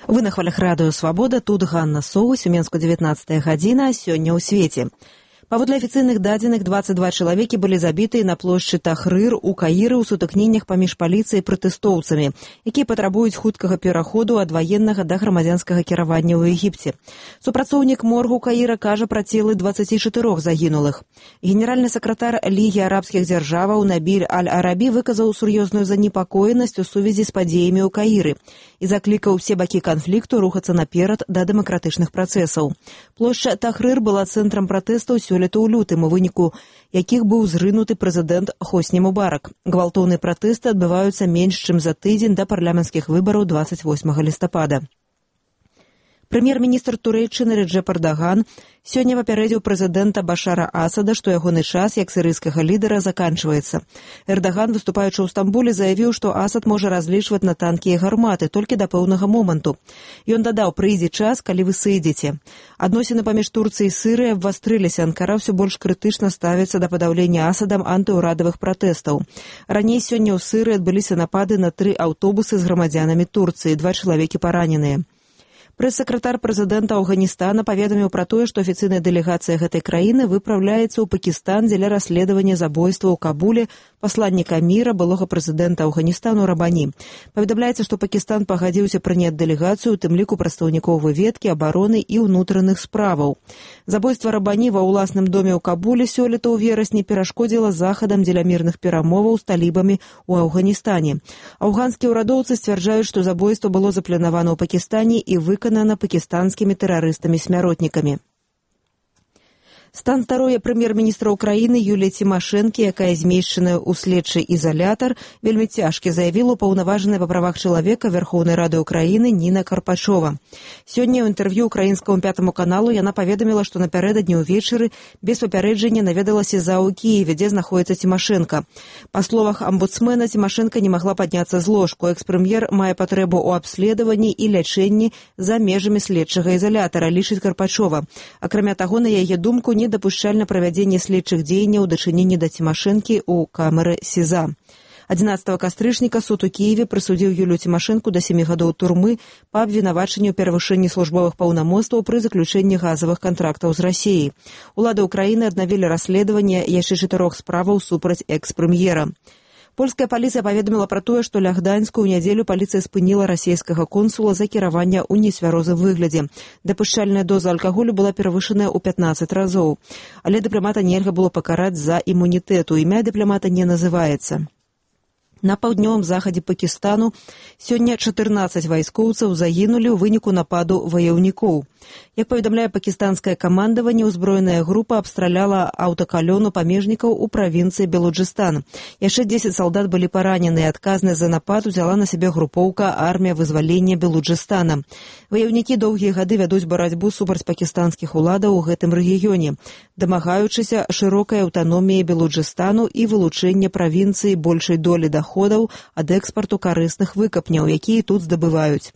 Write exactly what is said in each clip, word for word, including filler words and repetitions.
Вы на хвалях радыё «Свабода», тут Ганна Соус, у Менску дзевятнаццатая гадзіна, сёння ў свеце. Паводле афіцыйных дадзеных, дваццаць два чалавекі былі забітыя на плошчы Тахрыр у Каіры ў сутыкненнях паміж паліцыяй і пратэстоўцамі, якія патрабуюць хуткага пераходу ад ваеннага да грамадзянскага кіравання ў Егіпце. Супрацоўнік моргу Каіра кажа пра целы дваццаці чатырох загінулых. Генеральны сакратар Лігі арабскіх дзяржаваў Набіль Аль-Арабі выказаў сур'ёзную занепакоенасць у сувязі з падзеямі ў Каіры і заклікаў усе бакі канфлікту рухацца наперад да дэмакратычных працэсаў. Плошча Тахрыр была цэнтрам пратэстаў сёлета ў лютым, у выніку якіх быў зрынуты прэзідэнт Хосні Мубарак. Гвалтоўныя пратэсты адбываюцца менш чым за тыдзень да парламенцкіх выбараў дваццаць восьмага лістапада. Прэм'ер-міністр Турэйчыны Реджеп Эрдаган сёння папярэдзіў прэзідэнта Башара Асада, што ягоны час як сірыйскага лідара заканчваецца. Эрдаган, выступаючы ў Стамбуле, заявіў, што Асад можа разлічваць на танкі і гарматы толькі да пэўнага моманту. Ён дадаў: прыйдзе час, калі вы сыдзеце. Адносіны паміж Турцыяй і Сырыяй абвастрыліся. Анкара ўсё больш крытычна ставіцца да падаўлення Асадам антыўрадавых пратэстаў. Раней сёння ў Сырыі адбыліся напады на тры аўтобусы з грамадзянамі Турцыі, два чалавекі параненыя. Прэс-сакратар прэзідэнта Афганістана паведаміў пра тое, што афіцыйная дэлегацыя гэтай краіны выпраўляецца ў Пакістан дзеля расследавання забойства ў Кабуле пасланніка міра, былога прэзідэнта Афганістану Рабані. Паведамляецца, што Пакістан пагадзіўся прыняць дэлегацыю, у тым ліку прадстаўнікоў выведкі, абароны і ўнутраных справаў. Забойства Рабані ва ўласным доме ў Кабуле сёлета ў верасні перашкодзіла захадам дзеля мірных перамоваў з талібамі ў Афганістане. Афганскія ўрадоўцы сцвярджаюць, што забойства было запланавана ў Пакістане і выканана пакістанскімі тэрарыстамі-смяротнікамі. Стан здароўя прэм'ер-міністра Украіны Юліі Цімашэнкі, якая змешчаная ў следчы ізалятар, вельмі цяжкі, заявіла ўпаўнаважаная па правах чалавека Верхоўнай Рады Украіны Ніна Карпачова. Сёння ў інтэрв'ю украінскаму пятаму каналу яна паведаміла, што напярэдадні ўвечары без папярэджання наведалася за ў Кіеве, дзе знаходзіцца Цімашэнка. Па словах амбудсмена, Цімашэнка не магла падняцца з ложку. Экс-прэм'ер мае патрэбу ў абследаванні і лячэнні за межамі следчага ізалятара, лічыць Карпачова. Акрамя таго, на яе думку, недапушчальна правядзенне следчых дзеянняў у дачыненні да Цімашэнкі ў камеры СІЗА. адзінаццатага кастрычніка суд у Кіеве прысудзіў Юлію Цімашэнку да сямі гадоў турмы па абвінавачанню ў перавышэнні службовых паўнамоцтваў пры заключэнні газавых кантрактаў з Расіяй. Улады ўкраіны аднавілі расследаванне яшчэ чатырох справаў супраць экс-прэм'ера. Польская паліцыя паведаміла пра тое, што ля Гданьску ў нядзелю паліцыя спыніла расійскага консула за кіраванне ў нецвярозым выглядзе. Дапушчальная доза алкаголю была перавышаная ў пятнаццаць разоў. Але дыпламата нельга было пакараць за імунітэту. Імя дыпламата не называецца. На паўднёвым захадзе Пакістану сёння чатырнаццаць вайскоўцаў загінулі ў выніку нападу ваяўнікоў. Як паведамляе пакістанскае камандаванне, узброеная група абстраляла аўтакалёну памежнікаў у правінцыі Белуджыстан. Яшчэ дзесяць салдат былі паранены. Адказнасць за напад узяла на сябе групоўка армія вызвалення Белуджыстана. Ваяўнікі доўгія гады вядуць барацьбу супраць пакістанскіх уладаў у гэтым рэгіёне, дамагаючыся шырокай аўтаноміі Белуджыстану і вылучэння правінцыі большай долі даходаў ад экспарту карысных выкапняў, якія тут здабываюць.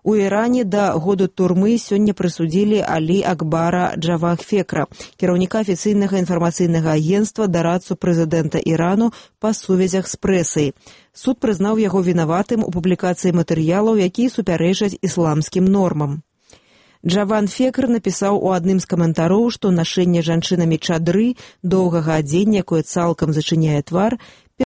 У Іране да году турмы сёння прысудзілі Алі Акбара Джавахфекра, кіраўніка афіцыйнага інфармацыйнага агенцтва, дарадцу прэзідэнта Ірану па сувязях з прэсай. Суд прызнаў яго вінаватым у публікацыі матэрыялаў, якія супярэчаць ісламскім нормам. Джаван Фекр напісаў у адным з каментароў, што нашэнне жанчынамі чадры, доўгага адзення, якое цалкам зачыняе твар,